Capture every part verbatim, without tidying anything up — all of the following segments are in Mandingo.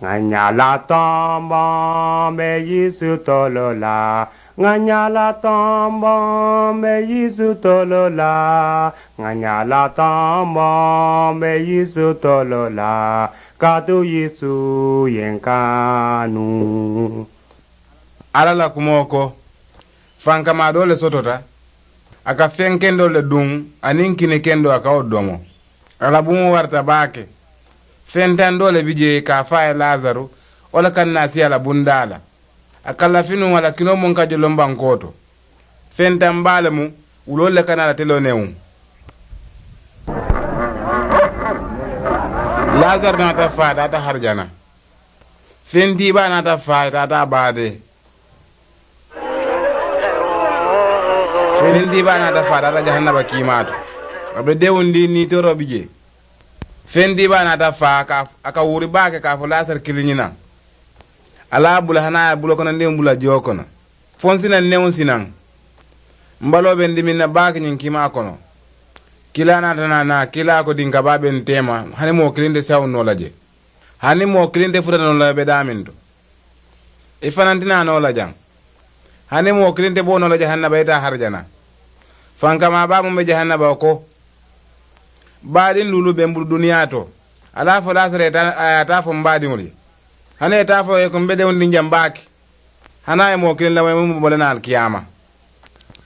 Ŋañña la tombo mbe yisu tolo la. Ŋañña la tombo mbe yisu tolo la. Ŋañña la tombo mbe yisu tolo la. Katu yisu yen kanu. Alla la kumoo ko, fankamaa doo le sotota. A ka feŋ kendoolu le duŋ, aniŋ kini kendoo a ka wo domo. A la buŋo warata baake. Feŋ taŋ doo le bi jee ka a faa ye lasaru, wo le ka naa si a la bundaa la. A ka lafi nuŋ a la kinoo muŋ ka joloŋ bankoo to. Feŋ taŋ baa le mu, wuloolu le ka naa la teloo newuŋ. Lasaru naata faa taata harijana. Feŋ tiibaa naata faa taata a baadee. Feŋ diibaa naata faa taata jahannaba kiimaa to. A be dewundi niitooroo bi jee. Feŋ diibaa naata faa ka a ka wuri baake ka a fo laasari kiliŋ ñinaŋ. Alla ye a bula hani a ye a bulokonondiŋo bula jio kono. Fo n si naŋ newuŋ si naŋ. M baloo be n dimiŋ na baake ñiŋ kiimaa kono. Kiilaa naata naa naa kiilaa ko diŋ ka baa be n teema. Hani moo kiliŋ te sawuŋ noo la je. Hani moo kiliŋ te futa noo la be daaminto. I fananti naa noo la jaŋ. Hani moo kiliŋ te boo noo la jahannaba i taa harijana. Fankamaa baa muŋ be jahannaba ko, baadiŋ luulu be n bulu duniyaa to. Alla fo laasara ye taa a ye a taa fo m baadiŋolu ye. Hani ye taa fo ye ko m be dewundiŋ jaŋ baake. Hani a ye moo kiliŋ lamoyi muŋ be bo le naa alikiyaama.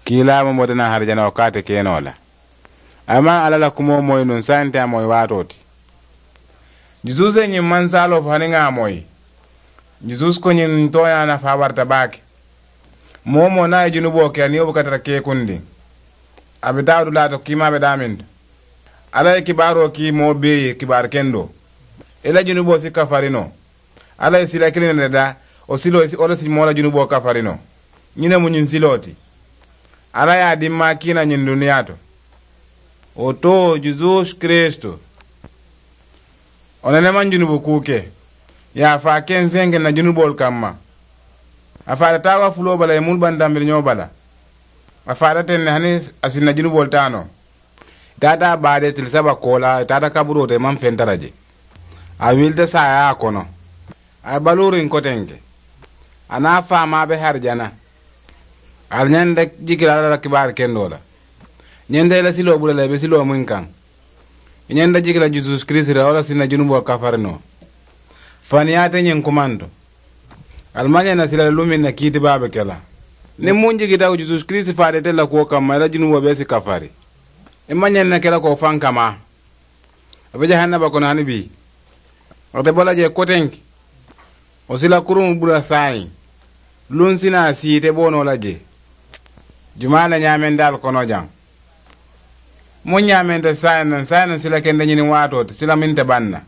Kiilaa muŋ bota naa harijana wo ka ate ke noo la. A maŋ alla la kumoo moyi nuŋ saayiŋ te a moyi waatoo ti. Jusuusu ye ñiŋ mansaaloo fo hani ŋa a moyi. Jusuusu ko ñiŋ tooñaa nafaa warata baake. Moo wo moo niŋ a ye junuboo ke a niŋ wo buka tara keekundiŋ. A be taa dulaa to kiimaa be daaminto. Alla ye kibaaroo kii moo bee ye kibaari kendoo. I la junuboo si kafari noo. Alla ye sila kiliŋ ne le daa. Wo siloo wo le si moo la junuboo kafari noo. Ñiŋ ne mu ñiŋ siloo ti. Alla ye a dimmaa kiina ñiŋ duniyaa to. Wo to jusuusu kiristu. Wo ne ne maŋ junubu kuu ke. Ye a faa kenseŋ ke na junuboolu kamma. A faata taawa fuloo bala ye mulu bantambiri ñoo bala. A faata teŋ ne hani a si na junuboolu taa noo. I taata a baadee tili saba koolaa i taata kaburoo to i maŋ feŋ tara je. A wilita saayaa a kono. A ye baluuriŋ kotenke. A niŋ a faamaa be harijana. Ali ñanta jiki la alla la kibaari kendoo la. Ñanta i la siloo bula la i be siloo muŋ kaŋ. I ñanta jiki la jusuusu kiristu la wo la si na junuboo kafari noo. Faniyaa te ñiŋ kumanto. Ali maŋ ñaŋ na sila la lumiŋ na kiiti baa be ke la. Niŋ muŋ jikita wo jusuusu kiristu faata ite la kuwo kamma i la junuboo bee si kafari. I maŋ ñaŋ na ke la ko faŋ kamaa. A be jahannaba kono hani bii. A te bo la jee kotenki. Wo sila kuruŋo bula saayiŋ. Luŋ si naa sii ite boonoo la jee. Jumaa le ñaamendaalu kono jaŋ. Muŋ ñaamenta saayiŋ naŋ saayiŋ naŋ sila kende ñiniŋ waatoo ti sila meŋ te baŋ na.